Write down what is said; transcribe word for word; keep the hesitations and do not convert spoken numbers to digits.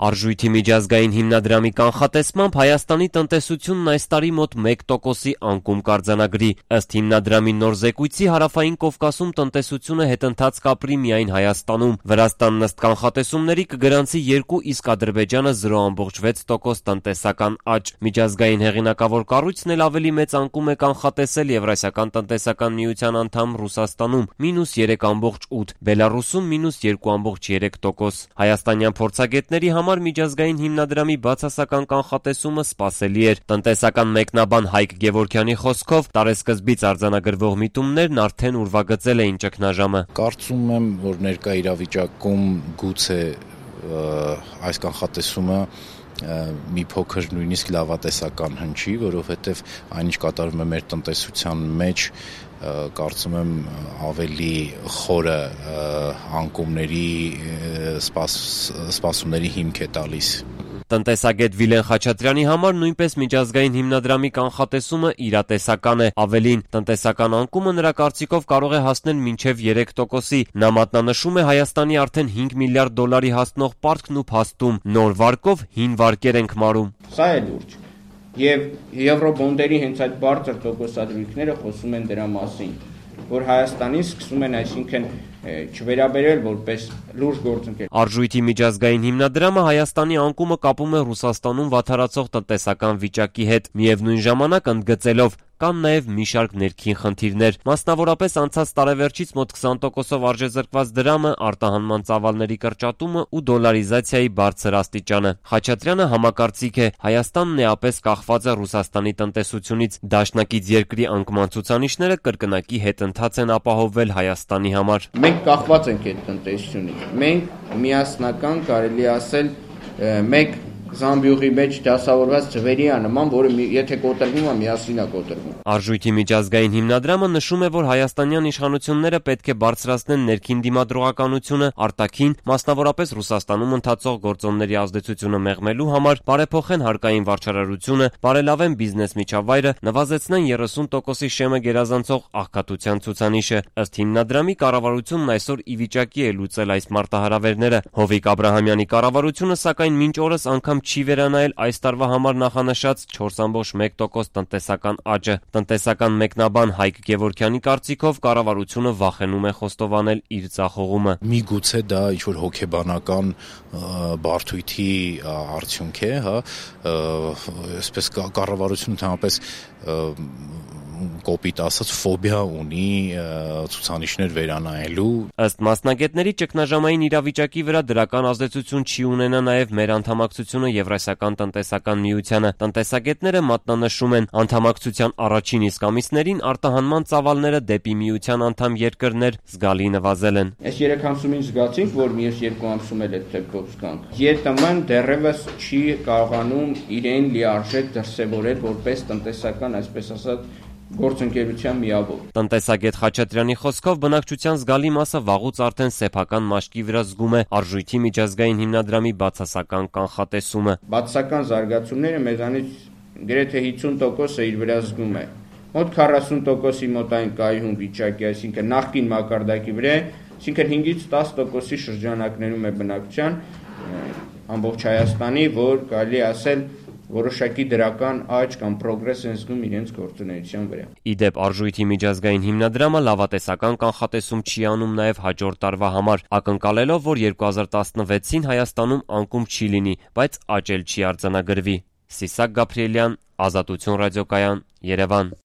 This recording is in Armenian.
Արժույթի միջազգային հիմնադրամի կանխատեսմամբ Հայաստանի տնտեսությունն այս տարի մոտ մեկ տոկոսի անկում կարձանագրի։ Ըստ հիմնադրամի նոր զեկույցի Հարավային Կովկասում տնտեսությունը հետընթաց կապրի միայն Հայաստանում։ Վրաստանն ըստ կանխատեսումների կգրանցի երկու, իսկ Ադրբեջանը զրո կόμμα վեց տոկոս տնտեսական աճ։ Միջազգային հեղինակավոր կառույցն էլ ավելի մեծ անկում է կանխատեսել Եվրասիական տնտեսական միության անդամ Ռուսաստանում՝ մինուս երեք կόμma ութ, Բելառուսում մինուս երկու կόμma երեք տոկոս։ Հայաստանյան փորձագետների համար միջազգային հիմնադրամի բացասական կանխատեսումը սպասելի էր։ Տնտեսական մեկնաբան Հայկ Գևորգյանի խոսքով տարեսկզբից արձանագրվող միտումներն արդեն ուրվագծել էին ճգնաժամը։ Կարծում եմ, որ ներկա իրավիճակում գուցե այս կանխատեսումը մի փոքր նույնիսկ լավատեսական հնչի, որովհետև այնինչ կատարվում է մեր տնտեսության մեջ, կարծում եմ ավելի խորը անկումների սպասումների հիմք է տալիս։ Տնտեսագետ Վիլեն Խաչատրյանի համար նույնպես միջազգային հիմնադրամի կանխատեսումը իրատեսական է։ Ավելին, տնտեսական անկումը նրա կարծիքով կարող է հասնել մինչև երեք տոկոսի։ Նա մատնանշում է Հայաստանի արդեն հինգ միլիարդ դոլարի հասնող պարտքն ու փաստում՝ նոր վարկով հին վարկեր ենք մարում։ Սա է լուրջ։ Եվ եվրոբոնդերի հենց այդ բարձր տոկոսադրույքները խոսում են դրա մասին, որ Հայաստանին սկսում են, այսինքն, չվերաբերել որպես լուրջ գործընկեր։ Արժույթի միջազգային հիմնադրամը Հայաստանի անկումը կապում է Ռուսաստանում վատթարացող տնտեսական վիճակի հետ, միևնույն ժամանակ ընդգծելով կան նաև մի շարք ներքին խնդիրներ, մասնավորապես անցած տարեվերջից մոտ քսան տոկոսով արժեզրկված դրամը, արտահանման ծավալների կրճատումը ու դոլարիզացիայի բարձր աստիճանը։ Խաչատրյանը համակարծիք է, Հայաստանն էապես կախված է Ռուսաստանի տնտեսությունից, դաշնակից երկրի անկման ցուցանիշները կրկնակի հետընթաց են ապահովվել Հայաստանի համար։ Մենք կախված ենք այդ տնտեսությունից։ Մենք միասնական, կարելի ասել, մեկ զամբյուղի մեջ դասավորված ձվերի անման, որը եթե կոտրվում է, միասին է կոտրվում։ Արժույթի միջազգային հիմնադրամը նշում է, որ հայաստանյան իշխանությունները պետք է բարձրացնեն ներքին դիմադրողականությունը, արտաքին, մասնավորապես Ռուսաստանում ընթացող գործոնների ազդեցությունը մեղմելու համար, բարեփոխեն հարկային վարչարարությունը, բարելավեն բիզնես միջավայրը, նվազեցնեն երեսուն տոկոսի շեմը գերազանցող աղքատության ցուցանիշը։ Ըստ հիմնադրամի կառավարությունն այսօր ի վիճակի է լուծել այս մարտահրավերները։ Հովիկ Աբրահամյանի կառավարությունը, սակայն մինչ օրս անգամ չի վերանայել այս տարվա համար նախանշած չորս կόμμα մեկ տոկոս տնտեսական աճը։ Տնտեսական մեկնաբան Հայկ Գևորգյանի կարծիքով կառավարությունը վախենում է խոստովանել իր ձախողումը։ Միգուցե դա ինչ-որ հոգեբանական բարդույթի արդյունք է, հա, այսպես կառավարությունը ընդհանրապես կոպիտ ասած ֆոբիա ունի ցուցանիշներ վերանայելու։ Ըստ մասնագետների, ճգնաժամային իրավիճակի վրա դրական ազդեցություն չի ունենա նաև մեր անդամակցությունը Եվրասիական տնտեսական միությանը։ Տնտեսագետները մատնանշում են, անդամակցության առաջին իսկ ամիսներին արտահանման ծավալները դեպի միության անդամ երկրներ զգալի նվազել են։ Այս երեք ամսումին զգացինք, որ մյուս երկու ամսում էլ այդ տեպքով զգանք։ ԵՏՄ-ն դեռևս չի կարողանում իրեն լիարժեք դրսևորել որպես տնտեսական, այսպես ասած, գործընկերության միավոր։ Տնտեսագետ Խաչատրյանի խոսքով բնակչության զգալի մասը վաղուց արդեն սեփական մաշկի վրա զգում է Արժույթի միջազգային հիմնադրամի բացասական կանխատեսումը։ Բացասական զարգացումները մեզանից գրեթե հինգ տոկոսը իր վրա զգում է։ Մոտ քառասուն տոկոսի մոտ այն կայուն վիճակի, այսինքն նախկին մակարդակի վրա, այսինքն հինգից տաս տոկոսի շրջանակներում է բնակչության ամբողջ Հայաստանի, որ կարելի ասել որոշակի դրական աճ կամ պրոգրես են զգում իրենց գործունեության վրա։ Իդեպ Արժույթի միջազգային հիմնադրամը լավատեսական կանխատեսում չի անում նաև հաջորդ տարվա համար, ակնկալելով, որ երկու հազար տասնվեցին Հայաստանում անկում չի լինի, բայց աճ էլ չի արձանագրվի։ Սիսակ Գաբրիելյան, Ազատություն ռադիոկայան, Երևան։